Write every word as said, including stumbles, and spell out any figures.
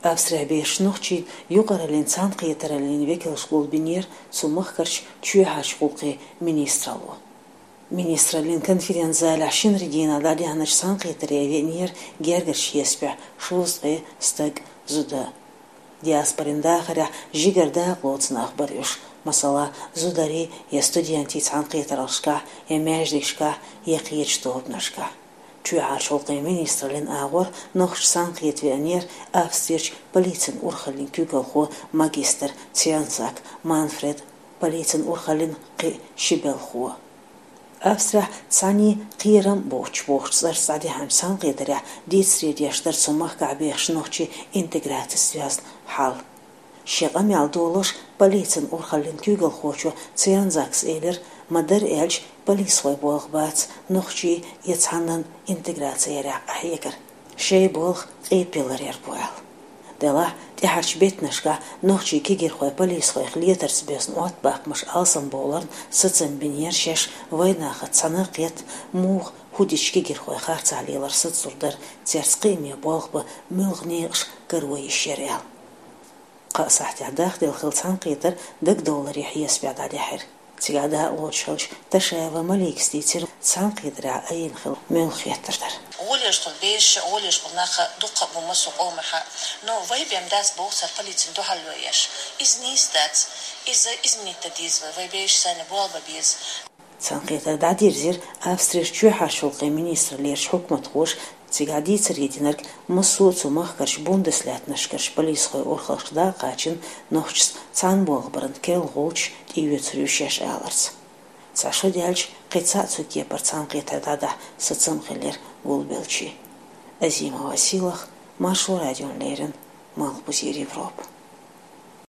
Австрехь бехаш нохчийн юкъараллин, цхьаьнакхетараллин векалаш гулбинера цу махкарча чоьхьарча гӀулакхийн министралло. Министраллин конференц-залехь шинарин дийнахьа дӀадихьача цхьаьнакхетаре веанера гергарча хьесапехь шовзткъе стаг, зуда. Диаспорин дахарехь жигара дакъа лоцу нах бара уьш, масала, зударий я студентий цхьаьнакхетараллашкахь, я маьждигашкахь, я кхечу тобанашкахь. Чоьхьарчу гӀулакхийн министраллин агӀор нохчаша цхьаьнакхета веанера Австрерчу полицин урхаллин куьйгалхо, магистр Цвянзак Манфред, полицин урхаллин кхин ши белхо. Австрехь цхьаьний кхерам боцуш бохучу цӀарца дӀадихьачу цхьаьнакхетарехь дийцаре деш дара цу махкахь бехачу нохчийн интеграцица доьзна хьал. Шен къамел долош полицин урхаллин куьйгалхочо Цвянзакс элира, ма-дарра аьлча, полисхойн болх бац нохчийн я цхьаннан интеграци ярехь къахьегар. Шайн болх къепе ларъяр бу аьлла. Делахь, тӀаьхьарчу беттанашкахь нохчийн кегийрхой полисхойх летарца боьзна Ӏоттабаккхамаш алсамбовларна сацам бинера шаьш вайнахаца цхьаьна кхетта, муха хӀун дича кегийрхой харцахь лелар сацалур дара, цаьрца кхиаме болх бан муьлха некъаш каро йиш яра аьлла. Кхаа сахьтехь дахделла хилла цхьаьнакхетар дагадовларан хьесапехь дӀадихьира. Цигахь дакъа лоцуш хиллачу Ташаева Маликас дийцира цхьаьнакхетарехь айина хилла муьлха хеттарш дар. ГӀолеш болу бешаш, гӀолеш болу нах дуккха а бу массо а къомахь. Но вай бен дац боху цара полицина дуьхьал йо еш. Иза нийса дац. Иза изменить дан деза вай, вай бешаш санна болх бан беза. Цхьаьнакхетар дӀадирзира Австрерчу чоьхьарчу гӀулакхийн министраллерчу хьукматхоша. Цигахь дийцаре динарг, массо а цу махкарчу бундеслаьттанашкарчу полисхойн урхаллашка дӀа а кхачийна, нохчашца цхьаьна болх баран керла гӀулчаш тӀеоьцур ю шаьш аларца. Цхьа шо даьлча, кхин цхьаъ цу кепара цхьаьнакхетар дӀадахьа сацам хиллера гулбеллачийн. Азимова Сийлаха, Маршо радиона леррина, Малхбузера Европа.